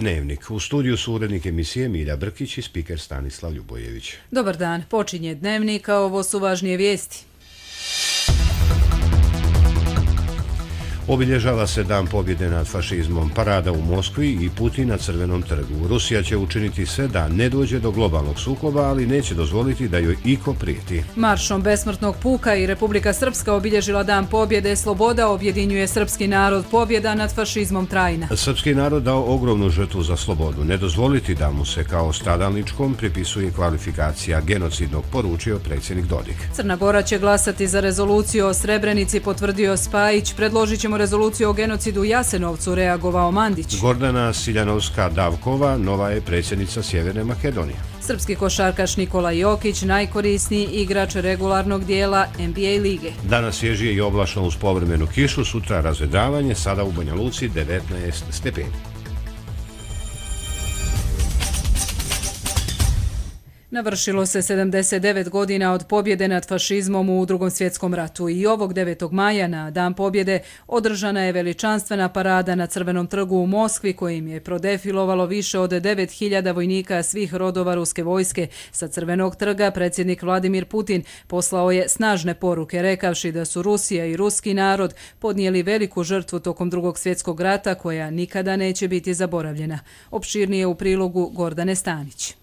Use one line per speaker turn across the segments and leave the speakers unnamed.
Dnevnik. U studiju su urednik emisije Milja Brkić i spiker Stanislav Ljubojević.
Dobar dan, počinje Dnevnik, a ovo su važnije vijesti.
Obilježava se Dan pobjede nad fašizmom, parada u Moskvi i Putin na Crvenom trgu. Rusija će učiniti sve da ne dođe do globalnog sukoba, ali neće dozvoliti da joj iko prijeti.
Maršom besmrtnog puka i Republika Srpska obilježila Dan pobjede. Sloboda objedinjuje srpski narod, pobjeda nad fašizmom trajna.
Srpski narod dao ogromnu žrtvu za slobodu. Ne dozvoliti da mu se kao stradalničkom pripisuje kvalifikacija genocidnog, poručio predsjednik Dodik.
Crna Gora će glasati za rezoluciju o Srebrenici, potvrdio Spajić. Predložit ćemo rezoluciju o genocidu u Jasenovcu, reagovao Mandić.
Gordana Siljanovska-Davkova nova je predsjednica Sjeverne Makedonije.
Srpski košarkaš Nikola Jokić najkorisniji igrač regularnog dijela NBA lige.
Danas svježije i oblačno uz povremenu kišu, sutra razvedravanje, sada u Banja Luci 19 stepeni.
Navršilo se 79 godina od pobjede nad fašizmom u Drugom svjetskom ratu i ovog 9. maja na Dan pobjede održana je veličanstvena parada na Crvenom trgu u Moskvi kojim je prodefilovalo više od 9000 vojnika svih rodova ruske vojske. Sa Crvenog trga predsjednik Vladimir Putin poslao je snažne poruke rekavši da su Rusija i ruski narod podnijeli veliku žrtvu tokom Drugog svjetskog rata koja nikada neće biti zaboravljena. Opširnije u prilogu Gordane Stanić.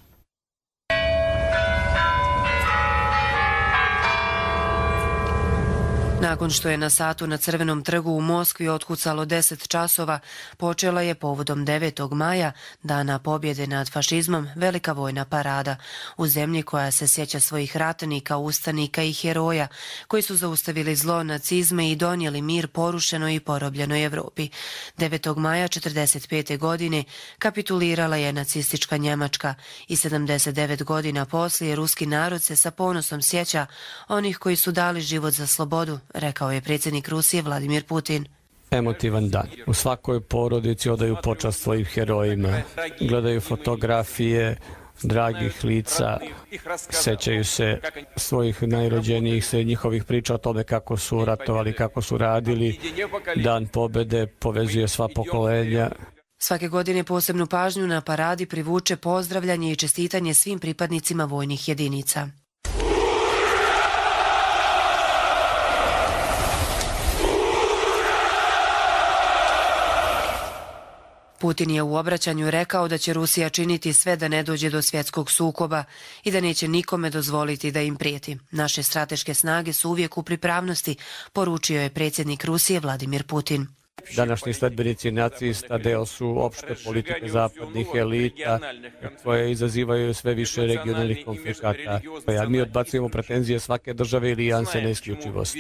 Nakon što je na satu na Crvenom trgu u Moskvi otkucalo 10 časova, počela je povodom 9. maja, Dana pobjede nad fašizmom, velika vojna parada u zemlji koja se sjeća svojih ratnika, ustanika i heroja koji su zaustavili zlo nacizme i donijeli mir porušenoj i porobljenoj Evropi. 9. maja 1945. godine kapitulirala je nacistička Njemačka i 79 godina poslije ruski narod se sa ponosom sjeća onih koji su dali život za slobodu, rekao je predsjednik Rusije Vladimir Putin.
Emotivan dan. U svakoj porodici odaju počast svojim herojima, gledaju fotografije dragih lica, sećaju se svojih najrođenijih, sve njihovih priča o tome kako su ratovali, kako su radili. Dan pobjede povezuje sva pokolenja.
Svake godine posebnu pažnju na paradi privuče pozdravljanje i čestitanje svim pripadnicima vojnih jedinica. Putin je u obraćanju rekao da će Rusija činiti sve da ne dođe do svjetskog sukoba i da neće nikome dozvoliti da im prijeti. Naše strateške snage su uvijek u pripravnosti, poručio je predsjednik Rusije Vladimir Putin.
Današnji sledbenici nacista deo su opšte politike zapadnih elita koje izazivaju sve više regionalnih konflikata. Mi odbacujemo pretenzije svake države ili alijanse na isključivost.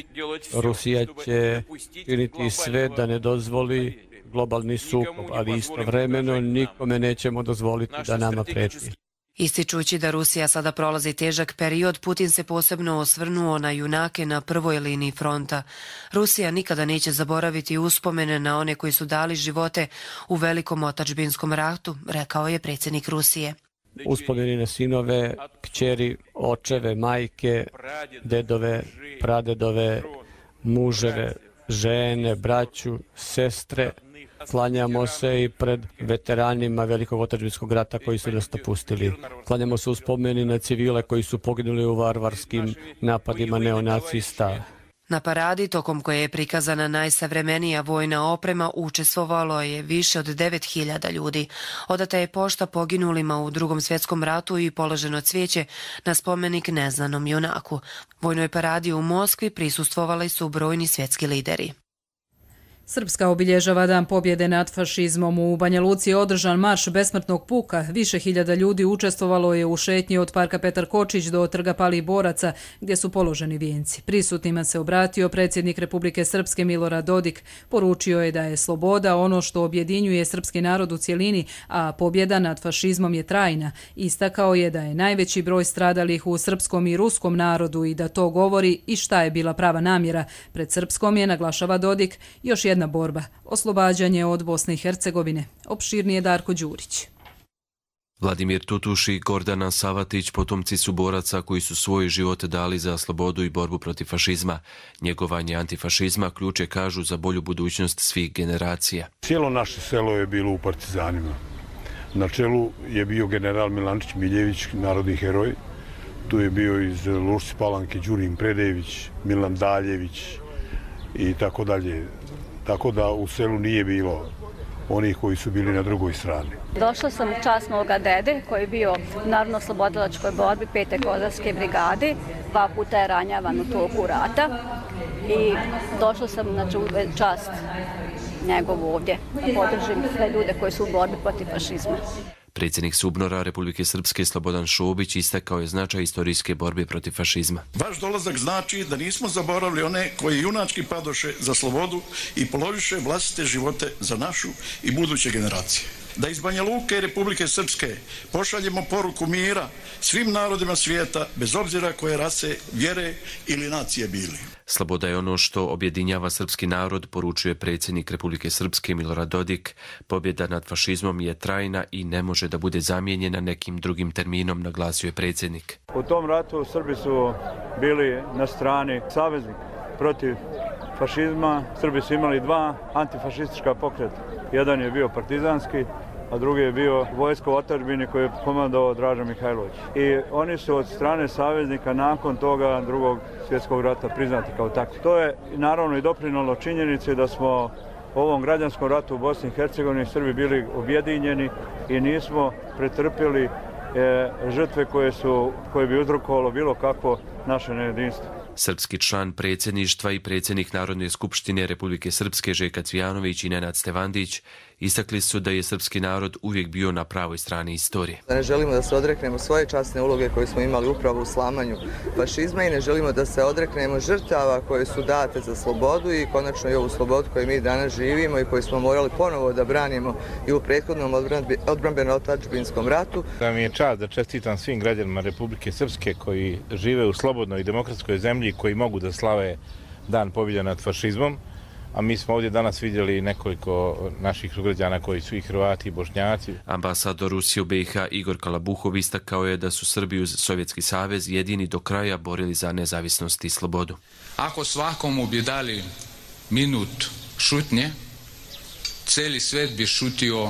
Rusija će činiti sve da ne dozvoli globalni sukob, ali istovremeno nikome nećemo dozvoliti da nama preti.
Ističući da Rusija sada prolazi težak period, Putin se posebno osvrnuo na junake na prvoj liniji fronta. Rusija nikada neće zaboraviti uspomene na one koji su dali živote u velikom otadžbinskom ratu, rekao je predsjednik Rusije.
Uspomeni na sinove, kćeri, očeve, majke, dedove, pradedove, muževe, žene, braću, sestre. Klanjamo se i pred veteranima Velikog otadžbinskog rata koji su nas napustili. Klanjamo se u spomeni na civile koji su poginuli u varvarskim napadima neonacista.
Na paradi, tokom koje je prikazana najsavremenija vojna oprema, učestvovalo je više od 9000 ljudi. Odata je pošta poginulima u Drugom svjetskom ratu i položeno cvijeće na spomenik neznanom junaku. Vojnoj paradi u Moskvi prisustvovali su brojni svjetski lideri.
Srpska obilježava Dan pobjede nad fašizmom. U Banja Luci je održan marš besmrtnog puka. Više hiljada ljudi učestvovalo je u šetnji od parka Petar Kočić do trga Palih boraca, gdje su položeni vijenci. Prisutnima se obratio predsjednik Republike Srpske Milorad Dodik. Poručio je da je sloboda ono što objedinjuje srpski narod u cjelini, a pobjeda nad fašizmom je trajna. Istakao je da je najveći broj stradalih u srpskom i ruskom narodu i da to govori i šta je bila prava namjera. Pred srpskom je, naglašava Dodik, još jedna borba, oslobađanje od Bosne i Hercegovine. Opširnije Darko Đurić.
Vladimir Tutuš i Gordana Savatić potomci su boraca koji su svoje živote dali za slobodu i borbu protiv fašizma. Njegovanje antifašizma ključ je, kažu, za bolju budućnost svih generacija.
Cijelo naše selo je bilo u partizanima. Na čelu je bio general Milančić Miljević, narodni heroj. Tu je bio iz Lušci Palanke Đurin Predejević, Milan Daljević i tako dalje. Tako da u selu nije bilo onih koji su bili na drugoj strani.
Došla sam u čast moga dede koji je bio u Narodno-oslobodilačkoj borbi 5. kozarske brigade. 2 puta je ranjavan u toku rata i došla sam na čast njegovu ovdje da podržim sve ljude koji su u borbi protiv fašizma.
Predsjednik SUBNOR-a Republike Srpske Slobodan Šobić istakao je značaj istorijske borbe protiv fašizma.
Vaš dolazak znači da nismo zaboravili one koji junački padoše za slobodu i položiše vlastite živote za našu i buduće generacije. Da iz Banja Luke i Republike Srpske pošaljemo poruku mira svim narodima svijeta, bez obzira koje rase, vjere ili nacije bili.
Sloboda je ono što objedinjava srpski narod, poručuje predsjednik Republike Srpske Milorad Dodik. Pobjeda nad fašizmom je trajna i ne može da bude zamijenjena nekim drugim terminom, naglasio je predsjednik.
U tom ratu Srbi su bili na strani saveznika protiv fašizma. Srbi su imali 2 antifašistička pokreta. Jedan je bio partizanski, a drugi je bio vojsko otadžbine koje je komandovao Draža Mihajlović. I oni su od strane saveznika nakon toga Drugog svjetskog rata priznati kao takvi. To je naravno i doprinijelo činjenici da smo u ovom građanskom ratu u Bosni i Hercegovini Srbi bili objedinjeni i nismo pretrpjeli žrtve koje bi uzrokovalo bilo kakvo naše nejedinstvo.
Srpski član predsjedništva i predsjednik Narodne skupštine Republike Srpske Željko Cvijanović i Nenad Stevandić istakli su da je srpski narod uvijek bio na pravoj strani istorije.
Ne želimo da se odreknemo svoje časne uloge koje smo imali upravo u slamanju fašizma i ne želimo da se odreknemo žrtava koje su date za slobodu i konačno i ovu slobodu koju mi danas živimo i koju smo morali ponovo da branimo i u prethodnom odbrambeno-otadžbinskom ratu.
Da mi je čast da čestitam svim građanima Republike Srpske koji žive u slobodnoj i demokratskoj zemlji i koji mogu da slave Dan pobjede nad fašizmom. A mi smo ovdje danas vidjeli nekoliko naših sugrađana koji su i Hrvati i Bošnjaci.
Ambasador Rusije u BiH Igor Kalabuhov istakao je da su Srbi uz Sovjetski savez jedini do kraja borili za nezavisnost i slobodu.
Ako svakomu bi dali minut šutnje, cijeli svijet bi šutio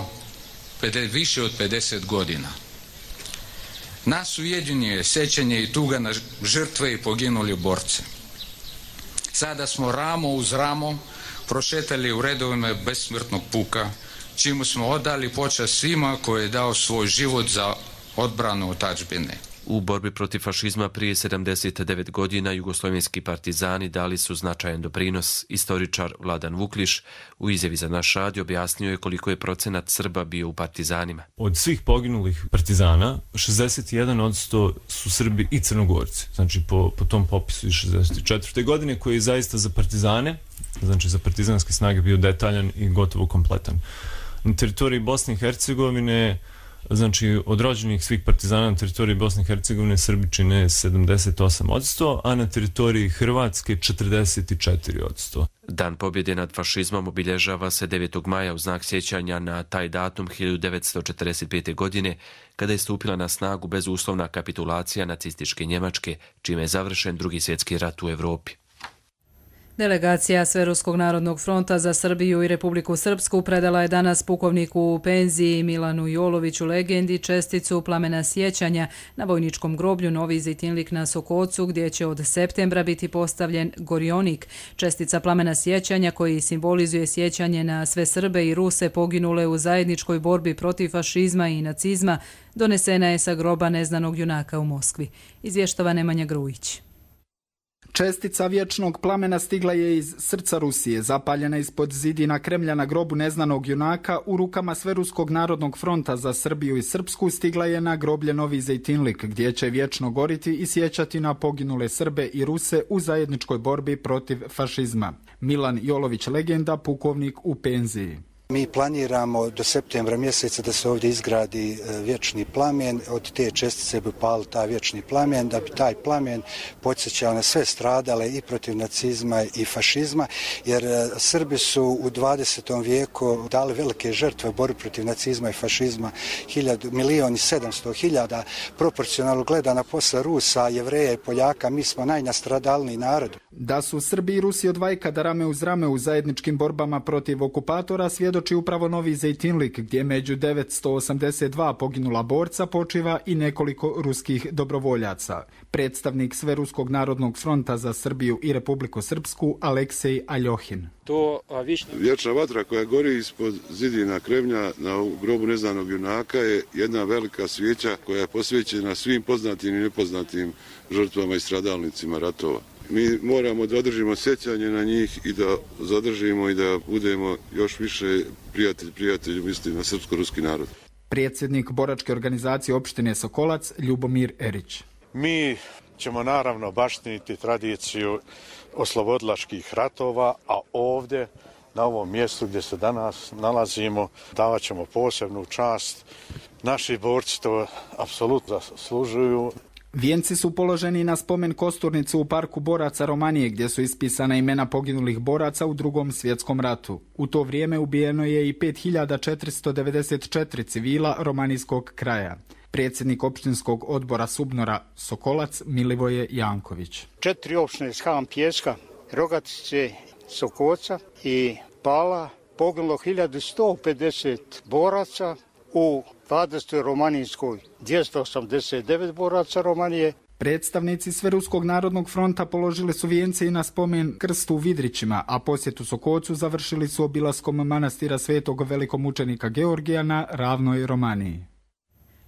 više od 50 godina. Nas ujedinjuje sjećanje i tuga na žrtve i poginuli borce. Sada smo ramo uz ramo prošetali u redovima besmrtnog puka, čime smo odali počast svima koji je dao svoj život za odbranu otadžbine.
U borbi protiv fašizma prije 79 godina jugoslovenski partizani dali su značajan doprinos. Istoričar Vladan Vukliš u izjavi za naš radio objasnio je koliko je procenat Srba bio u partizanima.
Od svih poginulih partizana 61% su Srbi i Crnogorci. Znači po tom popisu iz 64. godine koji je zaista za partizane, znači za partizanske snage bio detaljan i gotovo kompletan. Na teritoriji Bosne i Hercegovine, znači od rođenih svih partizana na teritoriji Bosne i Hercegovine Srbi čine 78%, a na teritoriji Hrvatske 44%.
Dan pobjede nad fašizmom obilježava se 9. maja u znak sjećanja na taj datum 1945. godine, kada je stupila na snagu bezuslovna kapitulacija nacističke Njemačke, čime je završen Drugi svjetski rat u Europi.
Delegacija Sveruskog narodnog fronta za Srbiju i Republiku Srpsku predala je danas pukovniku u penziji Milanu Joloviću legendi česticu plamena sjećanja na vojničkom groblju Novi Zejtinlik na Sokocu, gdje će od septembra biti postavljen gorionik. Čestica plamena sjećanja koji simbolizuje sjećanje na sve Srbe i Ruse poginule u zajedničkoj borbi protiv fašizma i nacizma donesena je sa groba neznanog junaka u Moskvi. Izvještava Nemanja Grujić.
Čestica vječnog plamena stigla je iz srca Rusije, zapaljena ispod zidina Kremlja na grobu neznanog junaka u rukama Sveruskog narodnog fronta za Srbiju i Srpsku stigla je na groblje Novi Zejtinlik, gdje će vječno goriti i sjećati na poginule Srbe i Ruse u zajedničkoj borbi protiv fašizma. Milan Jolović legenda, pukovnik u penziji.
Mi planiramo do septembra mjeseca da se ovdje izgradi vječni plamen. Od te čestice bi pali taj vječni plamen, da bi taj plamen podsjećao na sve stradale i protiv nacizma i fašizma, jer Srbi su u 20. vijeku dali velike žrtve u borbi protiv nacizma i fašizma, 1.700.000, proporcionalno gledana posle Rusa, Jevreja i Poljaka, mi smo najnastradalniji narod.
Da su Srbi i Rusi od vajkada rame uz rame u zajedničkim borbama protiv okupatora svjedoči upravo Novi Zejtinlik, gdje među 982 poginula borca počiva i nekoliko ruskih dobrovoljaca. Predstavnik Sveruskog narodnog fronta za Srbiju i Republiku Srpsku Aleksej Aljohin.
Vječna vatra koja gori ispod zidina Kremlja na grobu neznanog junaka je jedna velika svijeća koja je posvećena svim poznatim i nepoznatim žrtvama i stradalnicima ratova. Mi moramo da održimo sjećanje na njih i da zadržimo i da budemo još više prijatelji misli na srpsko-ruski narod.
Predsjednik boračke organizacije opštine Sokolac Ljubomir Erić.
Mi ćemo naravno baštiniti tradiciju oslobodilačkih ratova, a ovdje na ovom mjestu gdje se danas nalazimo davat ćemo posebnu čast. Naši borci to apsolutno zaslužuju.
Vijenci su položeni na spomen kosturnicu u parku boraca Romanije, gdje su ispisana imena poginulih boraca u Drugom svjetskom ratu. U to vrijeme ubijeno je i 5494 civila romanijskog kraja. Predsjednik opštinskog odbora Subnora Sokolac Milivoje Janković.
4 opštine Skan Pjeska, Rogatice, Sokoca i Pala poginulo 1150 boraca, u 20. romanijskoj 289 boraca Romanije.
Predstavnici Sveruskog narodnog fronta položili su vijence i na spomen krstu u Vidrićima, a posjetu Sokocu završili su obilaskom manastira svetog velikomučenika Georgija na ravnoj Romaniji.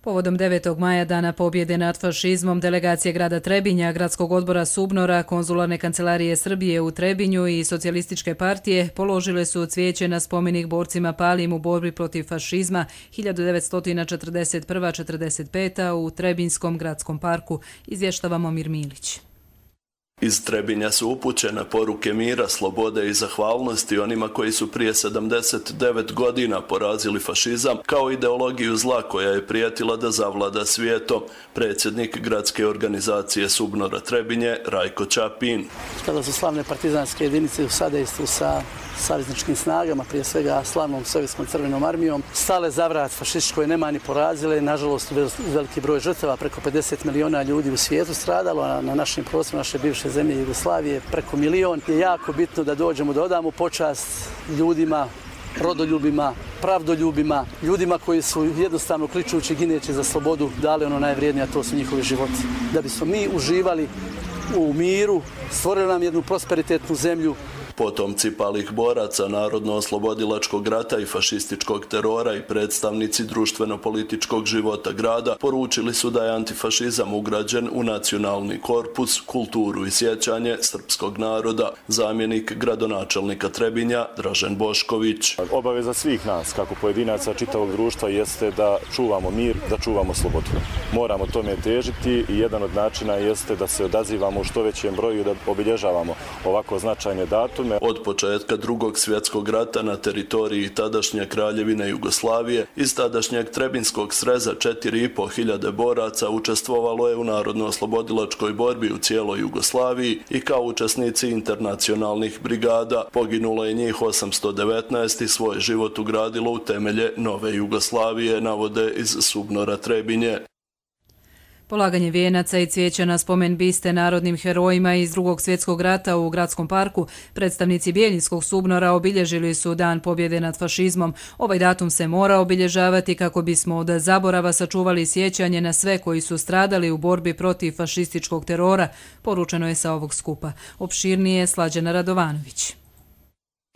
Povodom 9. maja, dana pobjede nad fašizmom, delegacije grada Trebinja, gradskog odbora Subnora, konzularne kancelarije Srbije u Trebinju i socijalističke partije položile su cvijeće na spomenik borcima palim u borbi protiv fašizma 1941-45 u Trebinjskom gradskom parku, izvještava Momir Milić.
Iz Trebinja su upućene poruke mira, slobode i zahvalnosti onima koji su prije 79 godina porazili fašizam kao ideologiju zla koja je prijetila da zavlada svijetom. Predsjednik gradske organizacije Subnora Trebinje Rajko Ćapin.
Kada su slavne partizanske jedinice u sadejstvu sa savezničkim snagama, prije svega slavnom Sovjetskom crvenom armijom, stale za vrat fašističkoj nemani porazile, nažalost veliki broj žrtava, preko 50 miliona ljudi u svijetu stradalo, a na našim prostorima naše bivše zemlje Jugoslavije preko milion. Je jako bitno da dođemo, da odamo počast ljudima, rodoljubima, pravdoljubima, ljudima koji su jednostavno kličući, gineći za slobodu dali ono najvrijednije, a to su njihovi životi. Da bismo mi uživali u miru, stvorili nam jednu prosperitetnu zemlju.
Potomci palih boraca Narodno-oslobodilačkog rata i fašističkog terora i predstavnici društveno-političkog života grada poručili su da je antifašizam ugrađen u nacionalni korpus, kulturu i sjećanje srpskog naroda. Zamjenik gradonačelnika Trebinja Dražen Bošković.
Obaveza svih nas, kako pojedinaca čitavog društva, jeste da čuvamo mir, da čuvamo slobodu. Moramo tome težiti i jedan od načina jeste da se odazivamo u što većem broju i da obilježavamo ovako značajne datume.
Od početka Drugog svjetskog rata na teritoriji tadašnje Kraljevine Jugoslavije iz tadašnjeg Trebinskog sreza 4.500 boraca učestvovalo je u narodno-oslobodilačkoj borbi u cijeloj Jugoslaviji i kao učesnici internacionalnih brigada. Poginulo je njih 819 i svoj život ugradilo u temelje nove Jugoslavije, navode iz Subnora Trebinje.
Polaganje vijenaca i cvijeća na spomen biste narodnim herojima iz Drugog svjetskog rata u gradskom parku, predstavnici Bijeljinskog Subnora obilježili su Dan pobjede nad fašizmom. Ovaj datum se mora obilježavati kako bismo od zaborava sačuvali sjećanje na sve koji su stradali u borbi protiv fašističkog terora, poručeno je sa ovog skupa. Opširnije Slađana Radovanović.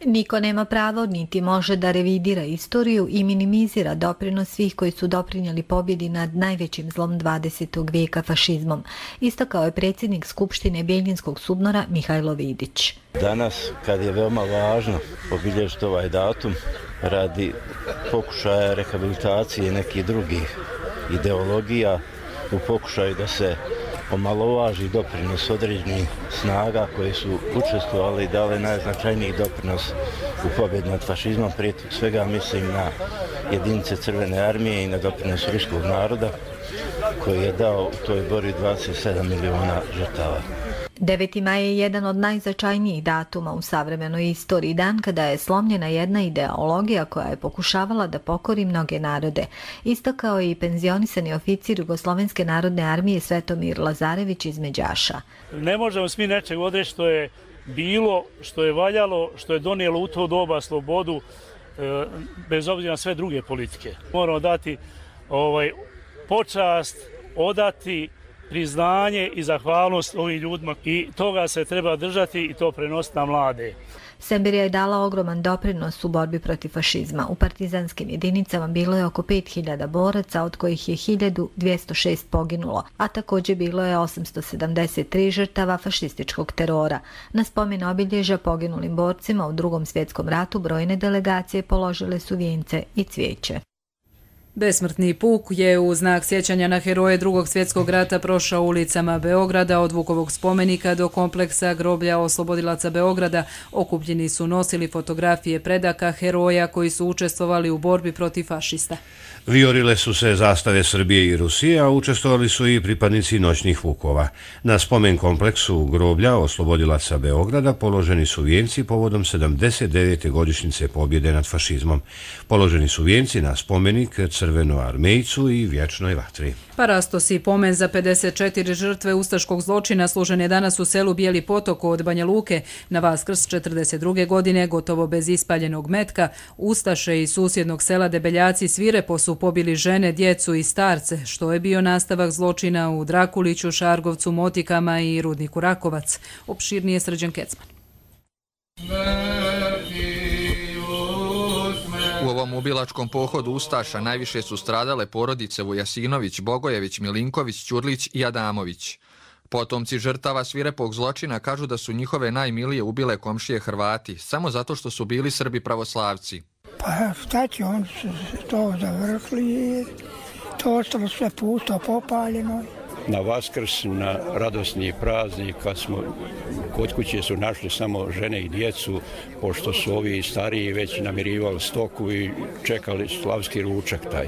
Niko nema pravo niti može da revidira istoriju i minimizira doprinos svih koji su doprinijeli pobjedi nad najvećim zlom 20. vijeka fašizmom, istakao je predsjednik Skupštine Bijeljinskog Subnora Mihajlo Vidić.
Danas, kad je veoma važno obilježiti ovaj datum radi pokušaja rehabilitacije nekih drugih ideologija, u pokušaju da se omalovaži doprinos određenih snaga koje su učestvovali i dali najznačajniji doprinos u pobjedi nad fašizmom. Prije svega mislim na jedinice Crvene armije i na doprinos ruskog naroda koji je dao u toj borbi 27 miliona žrtava.
9. maj je jedan od najznačajnijih datuma u savremenoj istoriji, dan kada je slomljena jedna ideologija koja je pokušavala da pokori mnoge narode. Istakao je i penzionisani oficir Jugoslovenske narodne armije Svetomir Lazarević iz Međaša.
Ne možemo svi nečeg odreći što je bilo, što je valjalo, što je donijelo u to doba slobodu, bez obzira na sve druge politike. Moramo dati počast, odati priznanje i zahvalnost ovim ljudima i toga se treba držati i to prenositi na mlade.
Semberija je dala ogroman doprinos u borbi protiv fašizma. U partizanskim jedinicama bilo je oko 5000 boraca, od kojih je 1206 poginulo, a također bilo je 873 žrtava fašističkog terora. Na spomen obilježja poginulim borcima u Drugom svjetskom ratu brojne delegacije položile su vijence i cvijeće.
Besmrtni puk je u znak sjećanja na heroje Drugog svjetskog rata prošao ulicama Beograda od Vukovog spomenika do kompleksa groblja oslobodilaca Beograda. Okupljeni su nosili fotografije predaka heroja koji su učestvovali u borbi protiv fašista.
Vijorile su se zastave Srbije i Rusije, a učestvovali su i pripadnici noćnih vukova. Na spomen kompleksu groblja oslobodilaca Beograda položeni su vijenci povodom 79. godišnjice pobjede nad fašizmom. Položeni su vijenci na spomenik Crvenoarmejcu i Vječnoj vatri.
Parastos i pomen za 54 žrtve ustaškog zločina služen je danas u selu Bijeli potok od Banja Luke. Na Vaskrs 42. godine, gotovo bez ispaljenog metka, ustaše iz susjednog sela Debeljaci svirepo su pobili žene, djecu i starce, što je bio nastavak zločina u Drakuliću, Šargovcu, Motikama i Rudniku Rakovac. Opširnije Srđan Kecman.
U ovom ubilačkom pohodu ustaša najviše su stradale porodice Vujasinović, Bogojević, Milinković, Ćurlić i Adamović. Potomci žrtava svirepog zločina kažu da su njihove najmilije ubile komšije Hrvati, samo zato što su bili Srbi pravoslavci.
Pa šta će, oni su to završili i to ostalo sve pusto, popaljeno.
Na Vaskrs, na radosni praznik, kad smo kod kuće su našli samo žene i djecu, pošto su ovi stariji već namirivali stoku i čekali slavski ručak taj.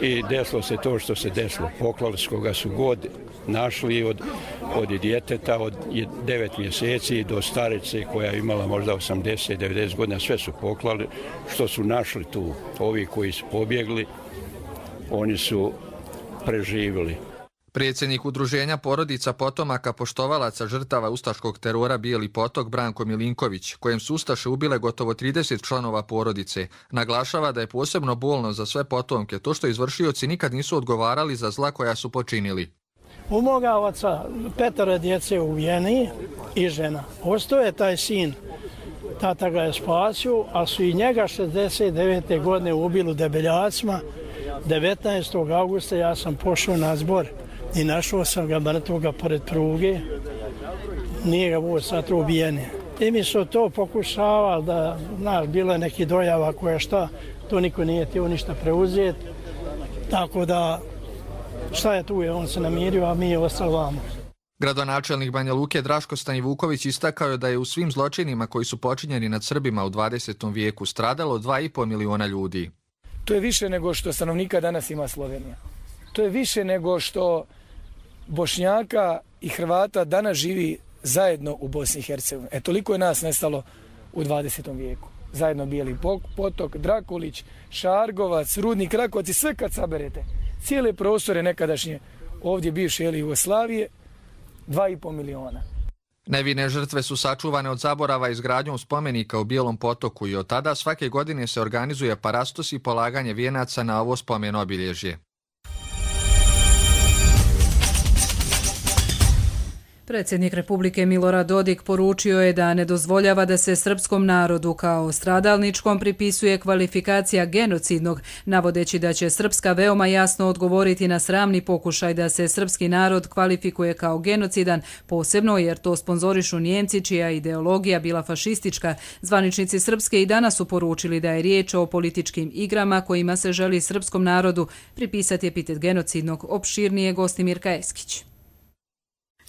I desilo se to što se desilo. Poklali su koga su god našli od djeteta od 9 mjeseci do starice koja je imala možda 80-90 godina, sve su poklali što su našli tu. Ovi koji su pobjegli, oni su preživjeli.
Predsjednik udruženja porodica potomaka poštovalaca žrtava ustaškog terora Bijeli potok Branko Milinković, kojem su ustaše ubile gotovo 30 članova porodice, naglašava da je posebno bolno za sve potomke to što izvršioci nikad nisu odgovarali za zla koja su počinili.
U moga oca 5 djece ubijeni i žena. Ostao je taj sin, tata ga je spasio, a su i njega 69. godine ubili u Debeljacima. 19. augusta ja sam pošao na zbor i našao sam ga mrtvoga pored pruge. Nije ga voz sad ubijeni. I mi su to pokušavali da, bilo je neki dojava koja šta, to niko nije htio ništa preuzeti. Tako da, šta je tu, on se namirio, a mi je ostali vamo.
Gradonačelnik Banja Luke Draško Stanivuković istakao je da je u svim zločinima koji su počinjeni nad Srbima u 20. vijeku stradalo 2,5 miliona ljudi.
To je više nego što stanovnika danas ima Slovenija. To je više nego što Bošnjaka i Hrvata danas živi zajedno u Bosni i Hercegovini. Toliko je nas nestalo u 20. vijeku. Zajedno Bijeli potok, Drakulić, Šargovac, Rudnik Rakovac i sve kad saberete. Cijele prostore nekadašnje ovdje bivše Jugoslavije, 2,5 miliona.
Nevine žrtve su sačuvane od zaborava izgradnjom spomenika u Bijelom potoku i od tada svake godine se organizuje parastos i polaganje vijenaca na ovo spomen obilježje.
Predsjednik Republike Milorad Dodik poručio je da ne dozvoljava da se srpskom narodu kao stradalničkom pripisuje kvalifikacija genocidnog, navodeći da će Srpska veoma jasno odgovoriti na sramni pokušaj da se srpski narod kvalifikuje kao genocidan, posebno jer to sponzorišu Nijemci čija ideologija bila fašistička. Zvaničnici Srpske i danas su poručili da je riječ o političkim igrama kojima se želi srpskom narodu pripisati epitet genocidnog. Opširnije Gostimir Kajeskić.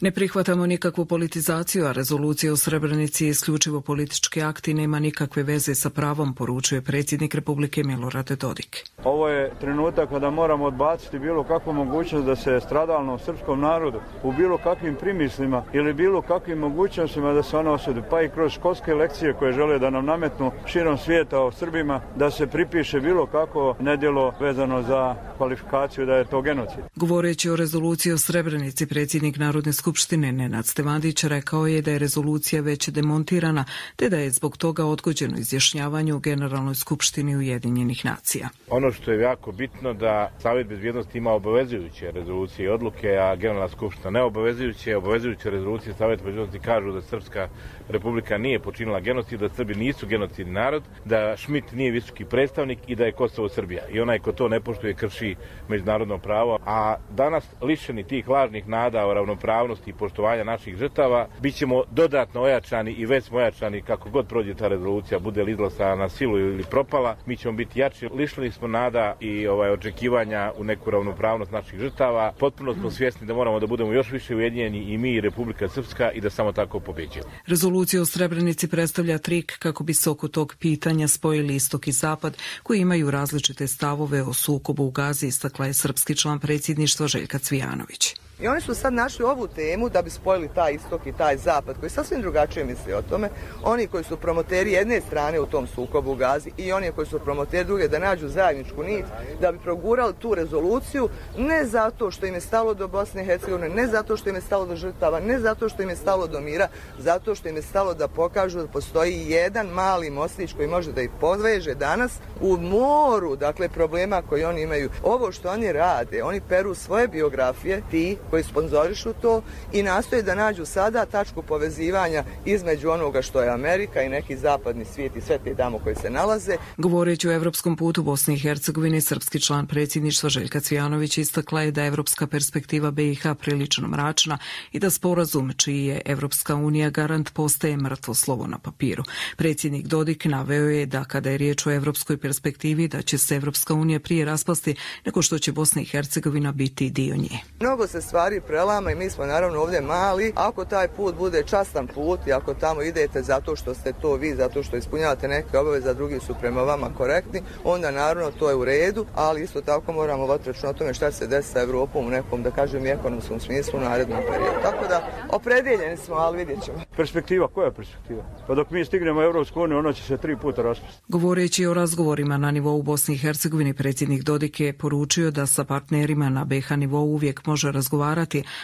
Ne prihvatamo nikakvu politizaciju, a rezolucija o Srebrenici je isključivo politički akt i nema nikakve veze sa pravom, poručuje predsjednik Republike Milorad Dodik.
Ovo je trenutak kada moramo odbaciti bilo kakvu mogućnost da se stradalnom srpskom narodu u bilo kakvim primislima ili bilo kakvim mogućnostima da se ona osudi, pa i kroz školske lekcije koje žele da nam nametnu širom svijeta o Srbima, da se pripiše bilo kako nedjelo vezano za kvalifikaciju da je to genocid.
Govoreći o rezoluciji o Srebrenici, predsjednik Narodne skupštine Nenad Stevadić rekao je da je rezolucija već demontirana, te da je zbog toga odgođeno izjašnjavanje u Generalnoj skupštini Ujedinjenih nacija.
Ono što je jako bitno da Savjet bezbjednosti ima obavezujuće rezolucije i odluke, a Generalna skupština neobavezujuće. Obavezujuće rezolucije Savjeta bezbjednosti kažu da Srpska republika nije počinila genocid, da Srbi nisu genocidni narod, da Šmit nije visoki predstavnik i da je Kosovo Srbija. I onaj ko to ne poštuje krši međunarodno pravo. A danas lišeni tih lažnih nada o ravnopravnosti i poštovanja naših žrtava, bit ćemo dodatno ojačani i već smo ojačani kako god prođe ta rezolucija, bude li izglasana na silu ili propala, mi ćemo biti jači. Lišili smo nada i očekivanja u neku ravnopravnost naših žrtava. Potpuno smo svjesni da moramo da budemo još više ujedinjeni i mi i Republika Srpska i da samo tako pobeđujemo.
Rezolucija o Srebrenici predstavlja trik kako bi se oko tog pitanja spojili istok i zapad, koji imaju različite stavove o sukobu u Gazi, istakla je srpski član predsjedništva Željka Cvijanović.
I oni su sad našli ovu temu da bi spojili taj istok i taj zapad, koji sasvim drugačije misli o tome. Oni koji su promoteri jedne strane u tom sukobu u Gazi i oni koji su promoteri druge, da nađu zajedničku nit, da bi progurali tu rezoluciju, ne zato što im je stalo do Bosne i Hercegovine, ne zato što im je stalo do žrtava, ne zato što im je stalo do mira, zato što im je stalo da pokažu da postoji jedan mali mostić koji može da ih podveže danas u moru, dakle, problema koji oni imaju. Ovo što oni rade, oni peru svoje biografije, ti koji sponzorišu to i nastoje da nađu sada tačku povezivanja između onoga što je Amerika i neki zapadni svijet i sve te tamo koji se nalaze.
Govoreći o evropskom putu Bosne i Hercegovine, srpski član predsjedništva Željka Cvijanović istakla je da je evropska perspektiva BiH prilično mračna i da sporazum čiji je Evropska unija garant postaje mrtvo slovo na papiru. Predsjednik Dodik naveo je da kada je riječ o evropskoj perspektivi da će se Evropska unija prije raspasti nego što će Bosna i Hercegovina biti dio nje.
Mnogo se stvari prelama i mi smo naravno ovdje mali. Ako taj put bude častan put i ako tamo idete zato što ste to vi, zato što ispunjavate neke obaveze, a drugi su prema vama korektni, onda naravno to je u redu, ali isto tako moramo voditi računa o tome šta se desi sa Evropom u nekom, da kažem, ekonomskom smislu u narednom periodu. Tako da opredeljeni smo, ali vidjet ćemo.
Perspektiva, koja je perspektiva? Pa dok mi stignemo u Evropsku uniju, ono će se 3 puta raspasti.
Govoreći o razgovorima na nivou Bosne i Hercegovine, predsjednik Dodik je poručio da sa partnerima na BiH nivou uvijek može razgovarati,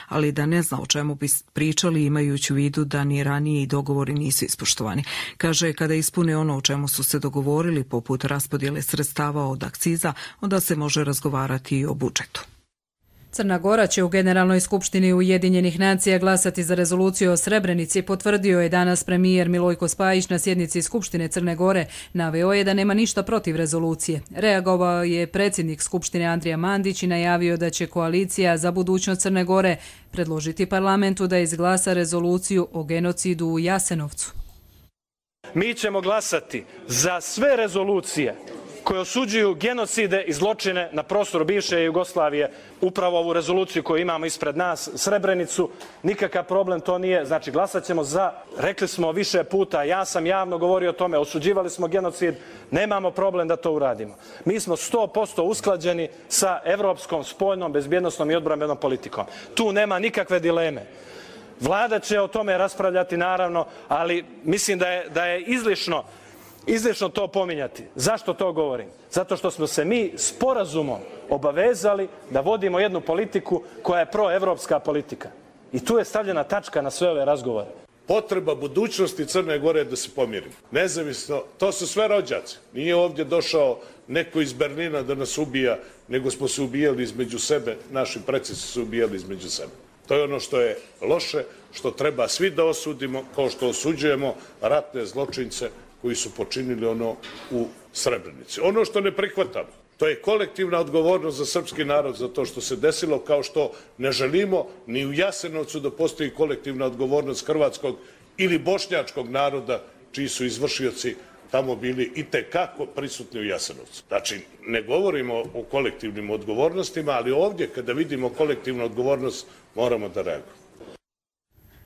ali da ne zna o čemu bi pričali imajući u vidu da ni ranije i dogovori nisu ispoštovani. Kaže, kada ispune ono o čemu su se dogovorili, poput raspodjele sredstava od akciza, onda se može razgovarati i o budžetu.
Crna Gora će u Generalnoj skupštini Ujedinjenih nacija glasati za rezoluciju o Srebrenici, potvrdio je danas premijer Milojko Spajić na sjednici Skupštine Crne Gore. Naveo je da nema ništa protiv rezolucije. Reagovao je predsjednik Skupštine Andrija Mandić i najavio da će koalicija za budućnost Crne Gore predložiti parlamentu da izglasa rezoluciju o genocidu u Jasenovcu.
Mi ćemo glasati za sve rezolucije koje osuđuju genocide i zločine na prostoru bivše Jugoslavije, upravo ovu rezoluciju koju imamo ispred nas, Srebrenicu, nikakav problem to nije. Znači, glasat ćemo za, rekli smo više puta, ja sam javno govorio o tome, osuđivali smo genocid, nemamo problem da to uradimo. Mi smo 100% usklađeni sa evropskom spoljnom, bezbjednosnom i odbrambenom politikom. Tu nema nikakve dileme. Vlada će o tome raspravljati, naravno, ali mislim da je izlišno to pominjati. Zašto to govorim? Zato što smo se mi sporazumom obavezali da vodimo jednu politiku koja je proevropska politika. I tu je stavljena tačka na sve ove razgovore.
Potreba budućnosti Crne Gore je da se pomirimo. Nezavisno, to su sve rođaci. Nije ovdje došao neko iz Berlina da nas ubija, nego smo se ubijali između sebe, naši preci su se ubijali između sebe. To je ono što je loše, što treba svi da osudimo, kao što osuđujemo ratne zločince koji su počinili ono u Srebrenici. Ono što ne prihvatamo, to je kolektivna odgovornost za srpski narod za to što se desilo, kao što ne želimo ni u Jasenovcu da postoji kolektivna odgovornost hrvatskog ili bošnjačkog naroda, čiji su izvršioci tamo bili itekako prisutni u Jasenovcu. Znači, ne govorimo o kolektivnim odgovornostima, ali ovdje kada vidimo kolektivnu odgovornost moramo da reagujemo.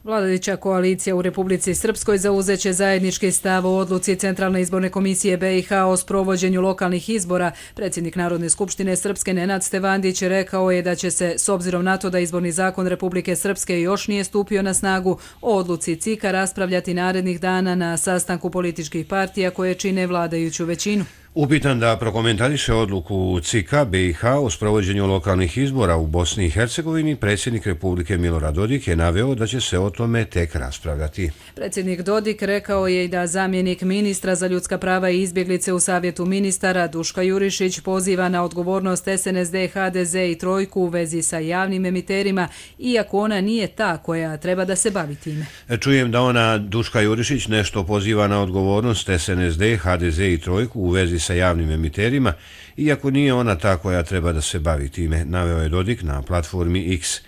Vladajuća koalicija u Republici Srpskoj zauzeće zajednički stav o odluci Centralne izborne komisije BiH o sprovođenju lokalnih izbora. Predsjednik Narodne skupštine Srpske Nenad Stevandić rekao je da će se, s obzirom na to da izborni zakon Republike Srpske još nije stupio na snagu, o odluci CIK-a raspravljati narednih dana na sastanku političkih partija koje čine vladajuću većinu.
Upitan da prokomentariše odluku CIK-a BiH o sprovođenju lokalnih izbora u Bosni i Hercegovini, predsjednik Republike Milorad Dodik je naveo da će se o tome tek raspravljati.
Predsjednik Dodik rekao je i da zamjenik ministra za ljudska prava i izbjeglice u Savjetu ministara Duška Jurišić poziva na odgovornost SNSD, HDZ i Trojku u vezi sa javnim emiterima, iako ona nije ta koja treba da se bavi time.
Čujem da ona, Duška Jurišić, nešto poziva na odgovornost SNSD, HDZ i Trojku u vezi sa javnim emiterima, iako nije ona ta koja treba da se bavi time, naveo je Dodik na platformi X.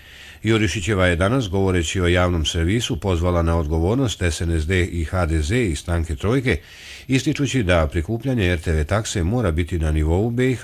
Jurišićeva je danas, govoreći o javnom servisu, pozvala na odgovornost SNSD i HDZ i stranke Trojke, ističući da prikupljanje RTV takse mora biti na nivou BiH,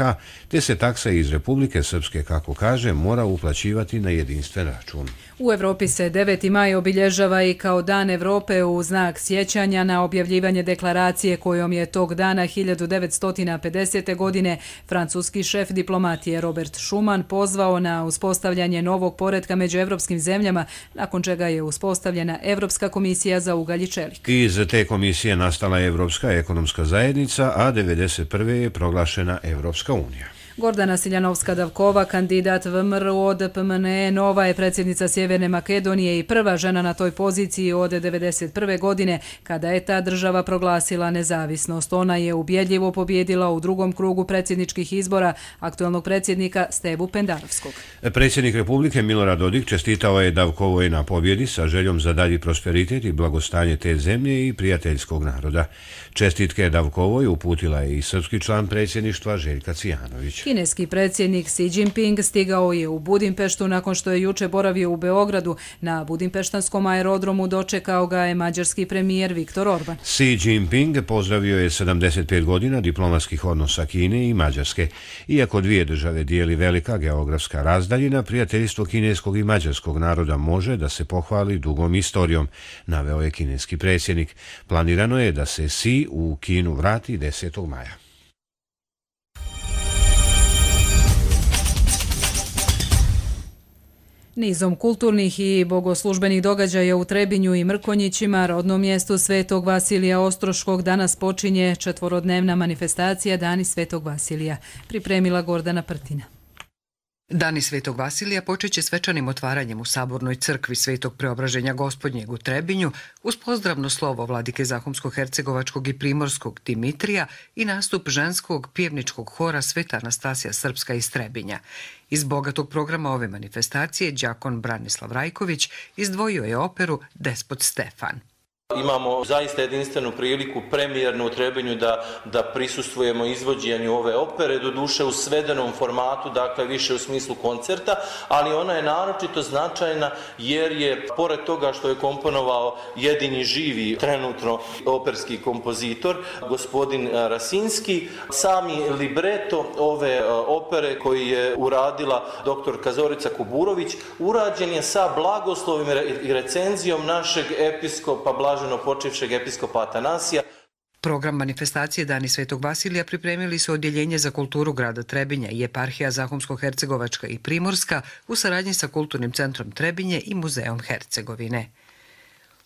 te se taksa iz Republike Srpske, kako kaže, mora uplaćivati na jedinstven račun.
U Evropi se 9. maj obilježava i kao Dan Evrope u znak sjećanja na objavljivanje deklaracije kojom je tog dana 1950. godine francuski šef diplomatije Robert Schuman pozvao na uspostavljanje novog poretka među evropskim zemljama, nakon čega je uspostavljena Evropska komisija za ugalj i čelik.
Iz te komisije nastala Evropska ekonomska zajednica, a 1991. je proglašena Evropska unija.
Gordana Siljanovska-Davkova, kandidat VMRO od PMNE, nova je predsjednica Sjeverne Makedonije i prva žena na toj poziciji od 1991. godine, kada je ta država proglasila nezavisnost. Ona je ubjedljivo pobjedila u drugom krugu predsjedničkih izbora aktualnog predsjednika Stevu Pendarovskog.
Predsjednik Republike Milorad Dodik čestitao je Davkovoj na pobjedi sa željom za dalji prosperitet i blagostanje te zemlje i prijateljskog naroda. Čestitke Davkovoj uputila je i srpski član predsjedništva Željka Cvijanović.
Kineski predsjednik Xi Jinping stigao je u Budimpeštu nakon što je juče boravio u Beogradu. Na budimpeštanskom aerodromu dočekao ga je mađarski premijer Viktor Orban.
Xi Jinping pozdravio je 75 godina diplomatskih odnosa Kine i Mađarske. Iako dvije države dijeli velika geografska razdaljina, prijateljstvo kineskog i mađarskog naroda može da se pohvali dugom istorijom, naveo je kineski predsjednik. Planirano je da se Xi u Kinu vrati 10. maja.
Nizom kulturnih i bogoslužbenih događaja u Trebinju i Mrkonjićima, rodnom mjestu Svetog Vasilija Ostroškog, danas počinje 4-dnevna manifestacija Dani Svetog Vasilija. Pripremila Gordana Prtina.
Dani Svetog Vasilija počeće svečanim otvaranjem u Sabornoj crkvi Svetog Preobraženja Gospodnjeg u Trebinju uz pozdravno slovo vladike Zahumsko-hercegovačkog i primorskog Dimitrija i nastup ženskog pjevničkog hora Sveta Anastasija Srpska iz Trebinja. Iz bogatog programa ove manifestacije đakon Branislav Rajković izdvojio je operu Despot Stefan.
Imamo zaista jedinstvenu priliku premijernu u Trebinju da prisustvujemo izvođenju ove opere, doduše u svedenom formatu, dakle više u smislu koncerta, ali ona je naročito značajna jer je, pored toga što je komponovao jedini živi trenutno operski kompozitor, gospodin Rasinski, sami libreto ove opere koji je uradila doktorka Zorica Kuburović, urađen je sa blagoslovim i recenzijom našeg episkopa blaženo počivšeg episkopa Atanasija.
Program manifestacije Dani Svetog Vasilija pripremili su Odjeljenje za kulturu grada Trebinja i Eparhija Zahumsko-hercegovačka i Primorska u saradnji sa Kulturnim centrom Trebinje i Muzeom Hercegovine.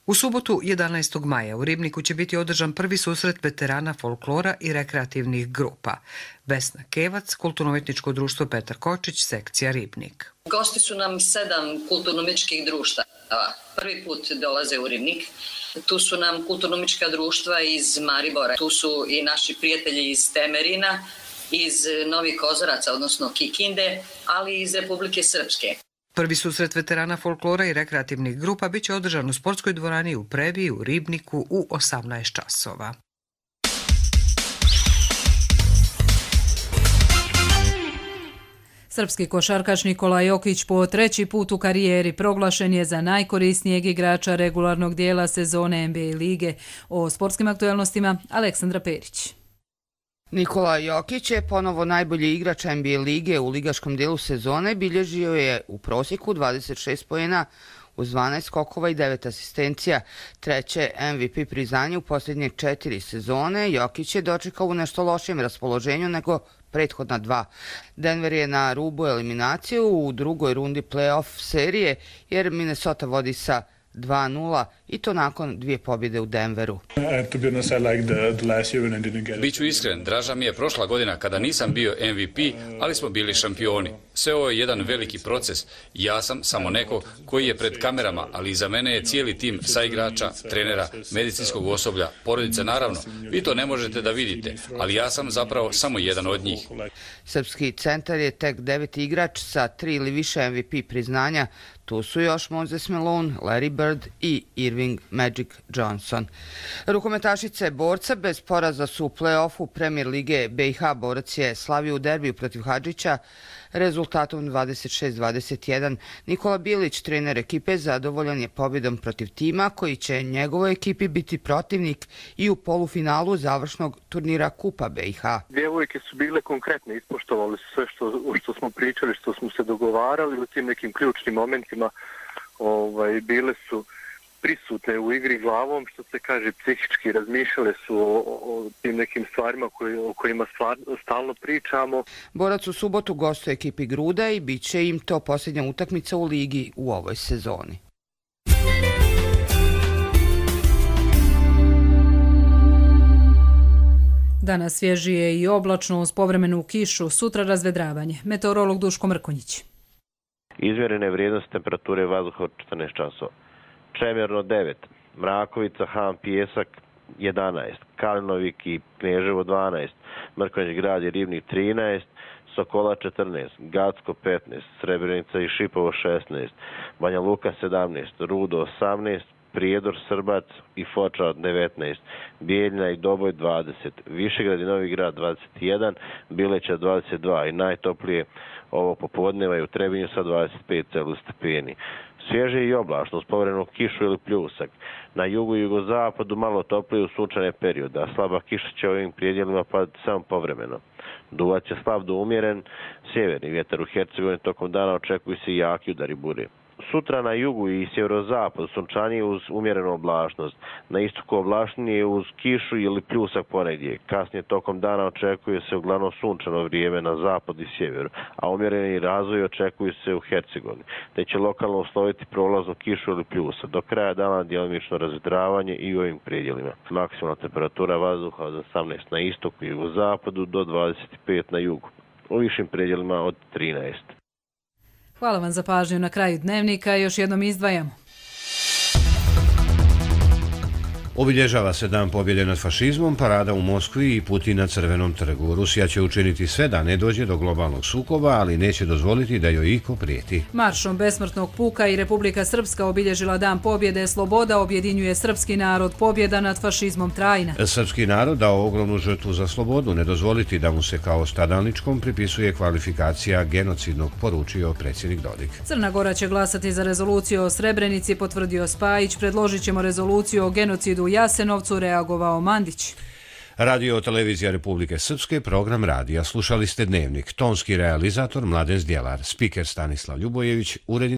U subotu 11. maja u Ribniku će biti održan prvi susret veterana folklora i rekreativnih grupa. Vesna Kevac, Kulturno-umjetničko društvo Petar Kočić, sekcija Ribnik.
Gosti su nam 7 kulturno-umjetničkih društava. Prvi put dolaze u Ribnik. Tu su nam kulturno-umjetnička društva iz Maribora. Tu su i naši prijatelji iz Temerina, iz Novih Kozaraca, odnosno Kikinde, ali i iz Republike Srpske.
Prvi susret veterana folklora i rekreativnih grupa bit će održan u sportskoj dvorani u Prebi u Ribniku u 18 časova.
Srpski košarkaš Nikola Jokić po 3. put u karijeri proglašen je za najkorisnijeg igrača regularnog dijela sezone NBA lige. O sportskim aktualnostima Aleksandra Perić.
Nikola Jokić je ponovo najbolji igrač NBA lige u ligaškom dijelu sezone, bilježio je u prosjeku 26 poena uz 12 skokova i 9 asistencija. Treće MVP priznanje u posljednje 4 sezone. Jokić je dočekao u nešto lošijem raspoloženju nego prethodna 2. Denver je na rubu eliminaciju u drugoj rundi play-off serije jer Minnesota vodi sa 2-0 i to nakon 2 pobjede u Denveru.
Biću iskren, draža mi je prošla godina kada nisam bio MVP, ali smo bili šampioni. Sve ovo je jedan veliki proces. Ja sam samo neko koji je pred kamerama, ali iza mene je cijeli tim saigrača, trenera, medicinskog osoblja, porodice naravno. Vi to ne možete da vidite, ali ja sam zapravo samo jedan od njih.
Srpski centar je tek 9. igrač sa 3 ili više MVP priznanja. Tu su još Moses Malone, Larry Bird i Irving Magic Johnson. Rukometašice borca bez poraza su u play-offu Premier lige BiH. Borac je slavio u derbiju protiv Hadžića rezultatom 26-21. Nikola Bilić, trener ekipe, zadovoljan je pobjedom protiv tima koji će njegovoj ekipi biti protivnik i u polufinalu završnog turnira Kupa BiH.
Djevojke su bile konkretne, ispoštovali su sve što smo pričali, što smo se dogovarali u tim nekim ključnim momentima. Bile su prisutne u igri glavom, što se kaže, psihički razmišljale su o tim nekim stvarima o kojima stalno pričamo.
Borac u subotu gostuje ekipi Gruda i bit će im to posljednja utakmica u ligi u ovoj sezoni.
Danas svježije i oblačno uz povremenu kišu, sutra razvedravanje. Meteorolog Duško Mrkonjić.
Izmjerene vrijednosti temperature vazduha od 14 časova. Čemerno 9, Mrakovica, Han, Pijesak 11, Kalinovik i Kneževo 12, Mrkonjić Grad i Ribnik 13, Sokola 14, Gacko 15, Srebrenica i Šipovo 16, Banja Luka 17, Rudo 18, Prijedor, Srbac i Foča 19, Bijeljina i Doboj 20, Višegrad i Novi Grad 21, Bileća 22 i najtoplije ovo popodneva je u Trebinju sa 25 stepeni. Svježe i oblačno uz povremenu kišu ili pljusak. Na jugu i jugozapadu malo toplije u sunčane periode, a slaba kiša će ovim prijedjelima padati samo povremeno. Duvat će slab do umjeren, sjeverni vjetar u Hercegovini tokom dana očekuju se jaki udari bure. Sutra na jugu i sjeverozapadu sunčanije uz umjerenu oblačnost. Na istoku oblačnije uz kišu ili pljusak ponegdje. Kasnije tokom dana očekuje se uglavnom sunčano vrijeme na zapadu i sjeveru, a umjereni razvoj očekuju se u Hercegovini, te će lokalno usloviti prolaznu kišu ili pljusak. Do kraja dana djelomično razvedravanje i u ovim predjelima. Maksimalna temperatura vazduha od 18 na istoku i jugozapadu do 25 na jugu. U višim predjelima od 13.
Hvala vam za pažnju. Na kraju dnevnika još jednom izdvajamo.
Obilježava se dan pobjede nad fašizmom, parada u Moskvi i Putin na Crvenom trgu. Rusija će učiniti sve da ne dođe do globalnog sukoba, ali neće dozvoliti da joj iko prijeti.
Maršom besmrtnog puka i Republika Srpska obilježila dan pobjede. Sloboda objedinjuje srpski narod, pobjeda nad fašizmom trajna.
Srpski narod dao ogromnu žrtvu za slobodu, ne dozvoliti da mu se kao stradalničkom pripisuje kvalifikacija genocidnog, poručio predsjednik Dodik.
Crna Gora će glasati za rezoluciju o Srebrenici, potvrdio Spajić. Predložit ćemo rezoluciju o genocidu u Jasenovcu, reagovao Mandić.
Radio televizija Republike Srpske, program radija. Slušali ste Dnevnik. Tonski realizator Mladen Zdjelar, spiker Stanislav Ljubojević, urednik